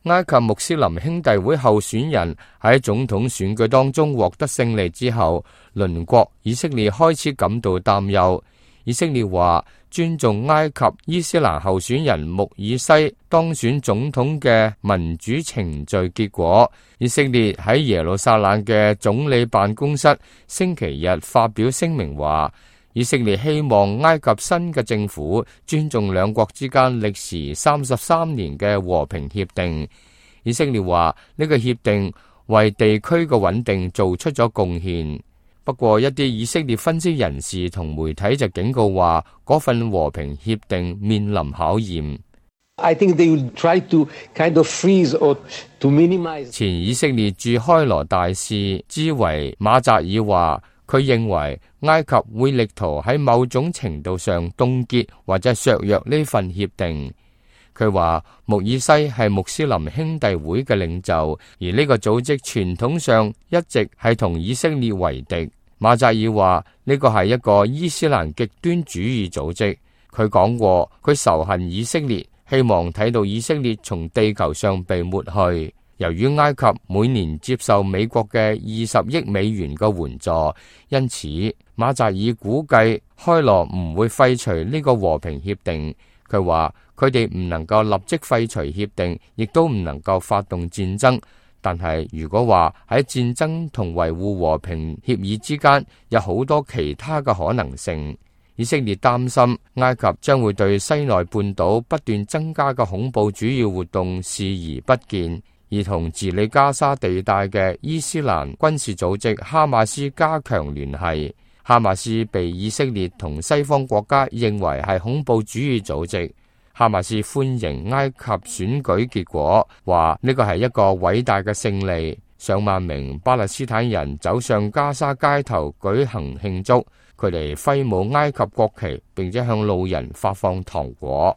埃及穆斯林兄弟會候選人喺總統選舉當中獲得勝利之後，鄰國以色列開始感到擔憂。以色列話尊重埃及伊斯蘭候選人穆爾西當選總統嘅民主程序結果。以色列喺耶路撒冷嘅總理辦公室星期日發表聲明話，以色列希望埃及新嘅政府尊重兩國之間歷時33年嘅和平協定。以色列話呢個協定為地區嘅穩定做出咗貢獻。不過一啲以色列分析人士同媒體就警告話，嗰份和平協定面臨考驗。前以色列駐開羅大使茲維馬扎爾話，佢認為埃及會力圖喺某種程度上凍結或者削弱呢份協定。佢話穆爾西係穆斯林兄弟會嘅領袖，而呢個組織傳統上一直係同以色列為敵。馬扎爾話呢個係一個伊斯蘭極端主義組織。佢講過佢仇恨以色列，希望睇到以色列從地球上被抹去。由於埃及每年接受美國嘅20億美元嘅援助，因此馬扎爾估計開羅唔會廢除呢個和平協定。佢話佢哋唔能夠立即廢除協定，亦都唔能夠發動戰爭。但係如果話喺戰爭同維護和平協議之間有好多其他嘅可能性，以色列擔心埃及將會對西奈半島不斷增加嘅恐怖主義活動視而不見，而同治理加沙地帶嘅伊斯蘭軍事組織哈馬斯加強聯繫。哈馬斯被以色列同西方國家認為係恐怖主義組織。哈馬斯歡迎埃及選舉結果，話呢個係一個偉大嘅勝利。上萬名巴勒斯坦人走上加沙街頭舉行慶祝，佢哋揮舞埃及國旗，並且向路人發放糖果。